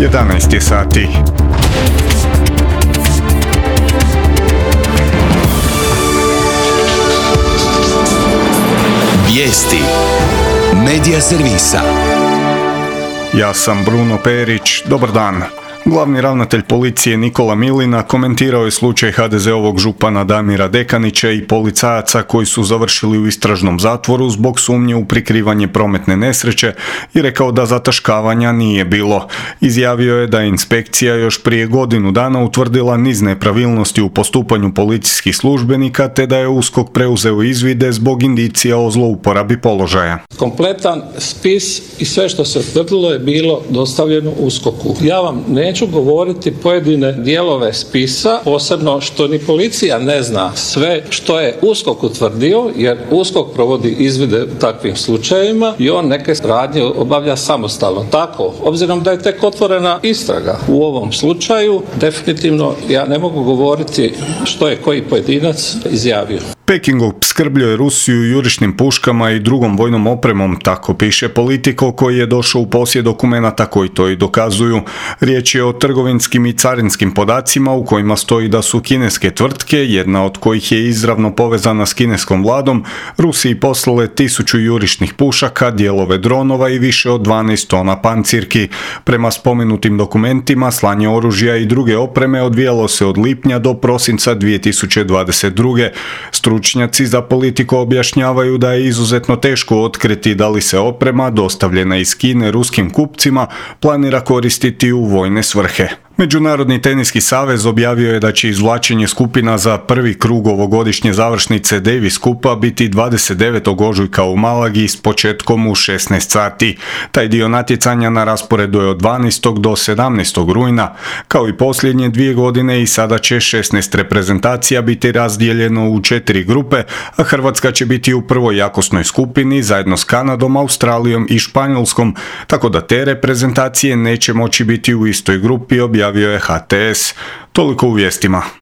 11 je sati. Vijesti Medija servisa. Ja sam Bruno Perić, dobar dan. Glavni ravnatelj policije Nikola Milina komentirao je slučaj HDZ-ovog župana Damira Dekanića i policajaca koji su završili u istražnom zatvoru zbog sumnje u prikrivanje prometne nesreće i rekao da zataškavanja nije bilo. Izjavio je da je inspekcija još prije godinu dana utvrdila niz nepravilnosti u postupanju policijskih službenika te da je USKOK preuzeo izvide zbog indicija o zlouporabi položaja. Kompletan spis i sve što se utvrdilo je bilo dostavljeno USKOK-u. Ja vam neću govoriti pojedine dijelove spisa, posebno što ni policija ne zna sve što je USKOK utvrdio, jer USKOK provodi izvide u takvim slučajevima i on neke radnje obavlja samostalno. Tako, obzirom da je tek otvorena istraga u ovom slučaju, definitivno ja ne mogu govoriti što je koji pojedinac izjavio. Peking opskrbljuje Rusiju jurišnim puškama i drugom vojnom opremom, tako piše Politico, koji je došao u posjed dokumenata koji to i dokazuju. Riječ je o trgovinskim i carinskim podacima u kojima stoji da su kineske tvrtke, jedna od kojih je izravno povezana s kineskom vladom, Rusiji poslale 1000 jurišnih pušaka, dijelove dronova i više od 12 tona pancirki. Prema spomenutim dokumentima, slanje oružja i druge opreme odvijalo se od lipnja do prosinca 2022. Stručnjaci za Politico objašnjavaju da je izuzetno teško otkriti da li se oprema, dostavljena iz Kine ruskim kupcima, planira koristiti u vojne svrhe. Međunarodni teniski savez objavio je da će izvlačenje skupina za prvi krug ovogodišnje završnice Davis Kupa biti 29. ožujka u Malagi s početkom u 16 sati. Taj dio natjecanja na rasporedu je od 12. do 17. rujna. Kao i posljednje 2 godine i sada će 16 reprezentacija biti razdijeljeno u 4 grupe, a Hrvatska će biti u prvoj jakosnoj skupini zajedno s Kanadom, Australijom i Španjolskom, tako da te reprezentacije neće moći biti u istoj grupi, objavio je HTS. Toliko u vijestima.